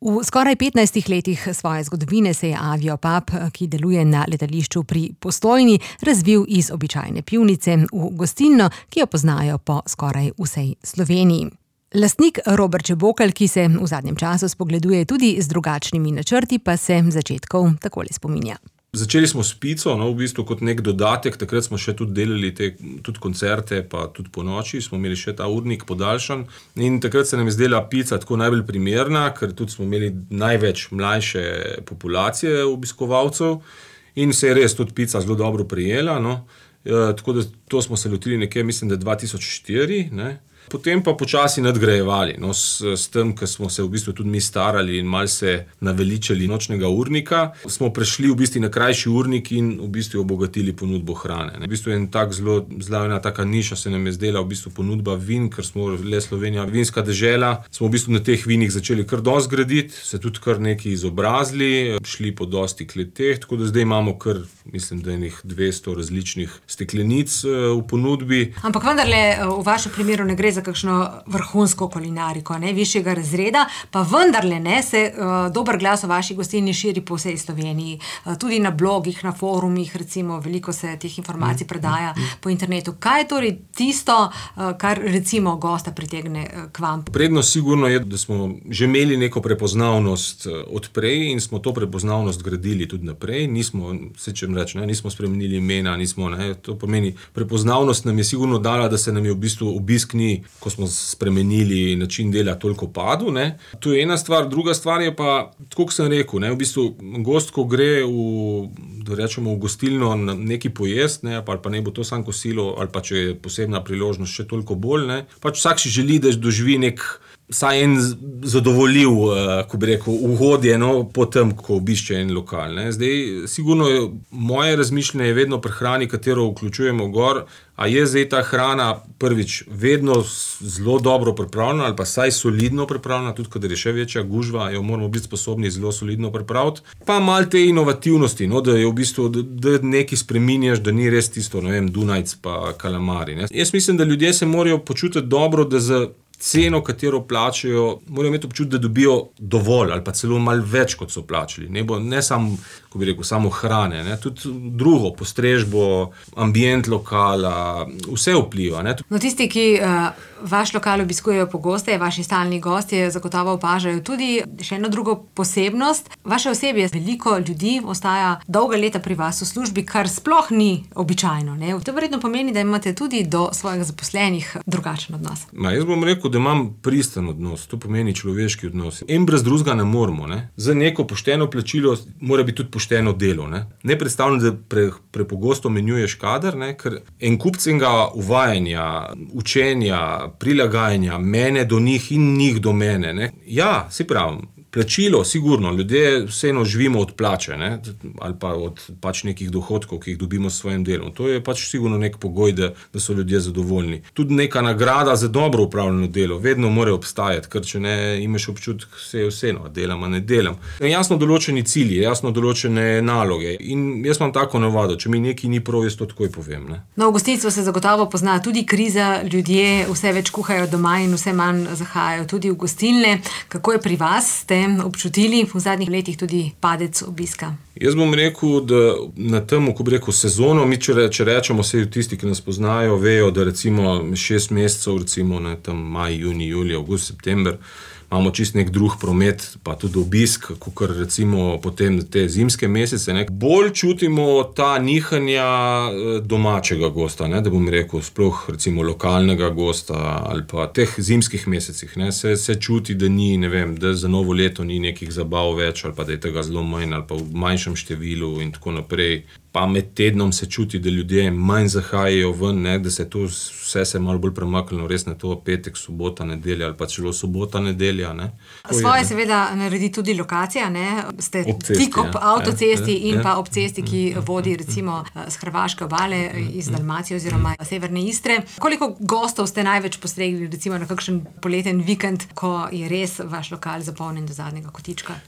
V skoraj 15 letih svoje zgodovine se je Aviopub, ki deluje na letališču pri Postojni, razvil iz običajne pivnice v gostilno, ki jo poznajo po skoraj vsej Sloveniji. Lastnik Robert Čebokelj, ki se v zadnjem času spogleduje tudi z drugačnimi načrti, pa se začetkov takole spominja. Začeli smo s pico, v bistvu kot nek dodatek, takrat smo še tudi delali tudi koncerte, pa tudi po noči, smo imeli še ta urnik podaljšan in takrat se nam je zdela pica tako najbolj primerna, ker tudi smo imeli največ mlajše populacije obiskovalcev in se je res tudi pica zelo dobro prijela, tako da to smo se lotili nekje, mislim, da 2004, Potem pa počasi nadgrajevali, s tem, ker smo se v bistvu tudi mi starali in malo se naveličali nočnega urnika, smo prešli v bistvu na krajši urnik in v bistvu obogatili ponudbo hrane. V bistvu zelo ena taka niša se nam je zdela v bistvu ponudba vin, ker smo le Slovenija vinska dežela, smo v bistvu na teh vinih začeli kar dosti graditi, se tudi kar nekaj izobrazili, šli po dosti kleteh, tako da zdaj imamo kar, mislim, da enih 200 različnih steklenic v ponudbi. Ampak vendarle v vašem primeru ne gre za kakšno vrhunsko kulinariko, višjega razreda, pa vendarle se dober glas o vaši gostilni širi po vsej Sloveniji. Tudi na blogih, na forumih, recimo, veliko se teh informacij predaja po internetu. Kaj je torej tisto, kar recimo gosta pritegne k vam? Prednost sigurno je, da smo že imeli neko prepoznavnost odprej in smo to prepoznavnost gradili tudi naprej. Nismo spremenili imena, to pomeni, prepoznavnost nam je sigurno dala, da se nam je v bistvu obisk ni, ko smo spremenili način dela, toliko padel. To je ena stvar, druga stvar je pa, tako kot sem rekel, v bistvu gost, ko gre v gostilno na neki pojest, ali pa ne bo to samo kosilo, ali pa če je posebna priložnost še toliko bolj, pač vsak si želi, da doživi vsaj en zadovoljiv, ko bi rekel, ugodje, po tem, ko obišče en lokal. Zdaj, sigurno moje razmišljanje je vedno pri hrani, katero vključujemo gor, a je zdaj ta hrana prvič vedno zelo dobro pripravljena ali pa saj solidno pripravljena, tudi kadar je še večja gužva, jo moramo biti sposobni zelo solidno pripraviti. Pa malo te inovativnosti, da je v bistvu, da nekaj spreminjaš, da ni res tisto, Dunajc pa kalamari. Jaz mislim, da ljudje se morajo počutiti dobro, da za ceno, katero plačajo, morajo imeti občutek, da dobijo dovolj ali pa celo malo več, kot so plačali. Ne samo, ko bi rekel, samo hrane, tudi drugo, postrežbo, ambient lokala, vse vpliva. Tisti, ki vaš lokal obiskujejo pogosteje, vaši stalni gostje zagotovo opažajo tudi še eno drugo posebnost. Vaše osebje, veliko ljudi ostaja dolga leta pri vas v službi, kar sploh ni običajno. To verjetno pomeni, da imate tudi do svojih zaposlenih drugačen odnos. Jaz bom rekel, da imam pristen odnos, to pomeni človeški odnos. En brez drugega ne moremo. Za neko pošteno plačilo mora biti tudi pošteno delo. Ne predstavljam, da prepogosto menjuješ kader, ker en kupcenega uvajanja, učenja, prilagajanja mene do njih in njih do mene. Ja, si pravim. Plačilo, sigurno, ljudje vseeno živimo od plače, ali pa od nekih dohodkov, ki jih dobimo s svojim delom. To je sigurno nek pogoj, da so ljudje zadovoljni. Tudi neka nagrada za dobro upravljeno delo vedno mora obstajati, ker če ne imaš občutek, se je vseeno, delam, a ne delam. Jasno določeni cilji, jasno določene naloge in jaz imam tako navado, če mi nekaj ni prav, jaz to takoj povem. V gostinstvu se zagotovo pozna tudi kriza, ljudje vse več kuhajo doma in vse manj zahajajo tudi v gostilne. Kako je pri vas? Ste občutili v zadnjih letih tudi padec obiska? Jaz bom rekel, da na tem, ko bi rekel, sezono, mi če rečemo, vse tisti, ki nas poznajo, vejo, da recimo 6 mesecev, recimo tam maj, juni, julij, avgust, september, imamo čist nek drug promet, pa tudi obisk, kakor recimo potem te zimske mesece. Bolj čutimo ta nihanja domačega gosta, da bom rekel, sploh recimo lokalnega gosta ali pa teh zimskih mesecih. Se čuti, da ni, da za novo leto ni nekih zabav več ali pa da je tega zelo manj ali pa v manjšem številu in tako naprej. Pa med tednom se čuti, da ljudje manj zahajajo ven, da se to vse se malo bolj premaknilo res na to petek, sobota, nedelja ali pa celo sobota, nedelja. Svoje seveda naredi tudi lokacija, ste tik ob avtocesti in pa ob cesti, ki vodi recimo z hrvaške obale iz Dalmacije oziroma severne Istre. Koliko gostov ste največ postregli recimo na kakšen poleten vikend, ko je res vaš lokal zapolnjen do zadnjega kotička?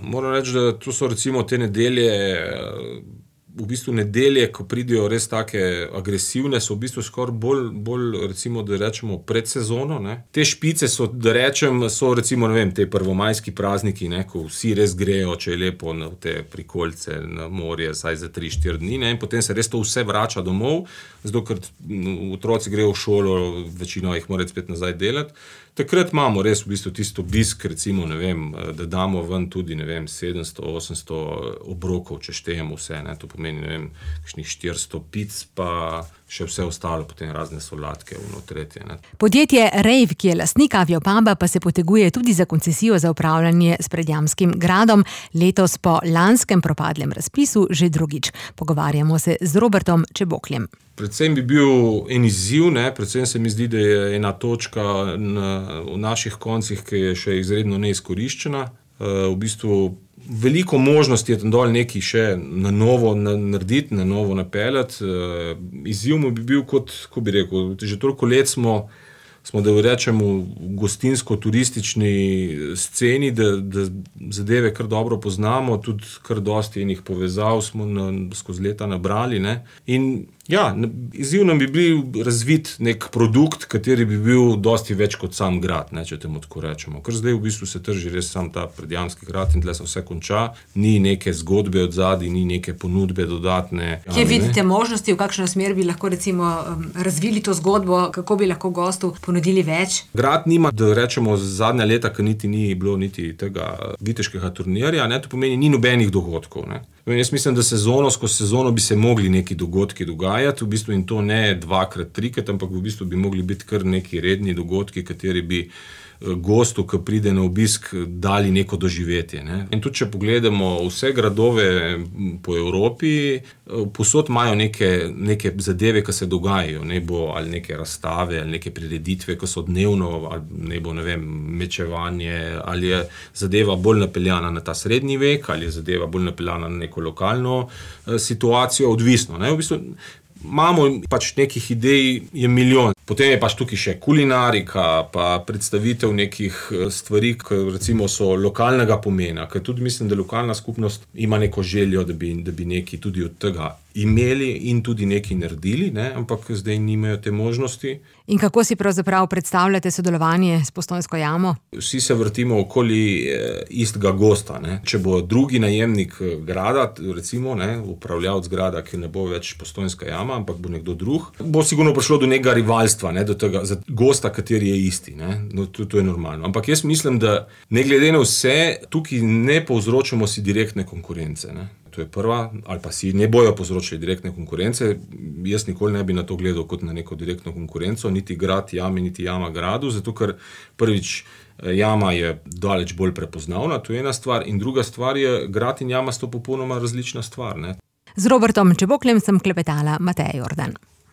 Moram reči, da to so recimo te nedelje v bistvu nedelje, ko pridejo res take agresivne, so v bistvu skoraj bolj recimo, da rečemo pred sezono, ne. Te špice so, da rečem, so recimo, ne vem, te prvomajski prazniki, ne, ko vsi res grejo, če je lepo, na te prikolice, na morje, saj za 3-4 dni, ne, in potem se res to vse vrača domov, zato ker otroci grejo v šolo, večino jih mora spet nazaj delati. Takrat imamo res v bistvu tisto obisk, recimo, ne vem, da damo ven tudi, ne vem, 700-800 obrokov, če štejemo vse, ne, to pomeni, ne vem, kakšnih 400 pic, pa še vse ostalo, potem razne solatke, tretje, ne. Podjetje Rejv, ki je lastnik Aviopuba, pa se poteguje tudi za koncesijo za upravljanje s Predjamskim gradom, letos po lanskem propadlem razpisu že drugič. Pogovarjamo se z Robertom Čebokljem. Predvsem bi bil en izziv, ne, predvsem se mi zdi, da je ena točka v naših koncih, ki je še izredno neizkoriščena. V bistvu veliko možnosti je tam dol nekaj še na novo narediti, na novo napeljati. Izziv mu bi bil kot, ko bi rekel, že toliko let smo da rečemo v gostinsko-turistični sceni, da zadeve kar dobro poznamo, tudi kar dosti enih povezav smo skozi leta nabrali, ne. In ja, izziv nam bi bil razviti nek produkt, kateri bi bil dosti več kot sam grad, ne, če temu tako rečemo. Ker zdaj v bistvu se trži res sam ta Predjamski grad in tle se vse konča, ni neke zgodbe odzadaj, ni neke ponudbe dodatne. Kje vidite možnosti, v kakšno smer bi lahko recimo razvili to zgodbo, kako bi lahko gostu ponudili več? Grad nima, da rečemo, zadnja leta, ker niti ni bilo niti tega viteškega turnirja, ne, to pomeni, ni nobenih dogodkov, ne. Jaz mislim, da skozi sezono bi se mogli neki dogodki dogajati, v bistvu in to ne 2x, 3x, ampak v bistvu bi mogli biti kar neki redni dogodki, kateri bi gostu, ki pride na obisk, dali neko doživetje, ne. In tudi, če pogledamo vse gradove po Evropi, povsod imajo neke zadeve, ki se dogajajo, ne bo ali neke razstave, ali neke prireditve, ki so dnevno, ali ne bo, ne vem, mečevanje, ali je zadeva bolj napeljana na ta srednji vek, ali je zadeva bolj napeljana na neko lokalno situacijo, odvisno, ne. V bistvu imamo pač nekih idej, je milijon. Potem je pač tukaj še kulinarika, pa predstavitev nekih stvari, ki recimo so lokalnega pomena, ker tudi mislim, da lokalna skupnost ima neko željo, da bi nekaj tudi od tega imeli in tudi nekaj naredili, ne, ampak zdaj nimajo te možnosti. In kako si pravzaprav predstavljate sodelovanje s Postojnsko jamo? Vsi se vrtimo okoli istega gosta, ne. Če bo drugi najemnik grada, recimo, ne, upravljavec grada, ki ne bo več Postojnska jama, ampak bo nekdo drug, bo sigurno prišlo do nekega rivalstva, ne, do tega, za gosta, kateri je isti, ne. No, to je normalno. Ampak jaz mislim, da ne glede na vse, tukaj ne povzročamo si direktne konkurence, ne. To je prva, ali pa si ne bojo povzročili direktne konkurence. Jaz nikoli ne bi na to gledal kot na neko direktno konkurenco, niti grad jami, niti jama gradu, zato ker prvič jama je daleč bolj prepoznavna, to je ena stvar, in druga stvar je, grad in jama sta popolnoma različna stvar, ne. Z Robertom Čebokljem sem klepetala Mateja Jordan.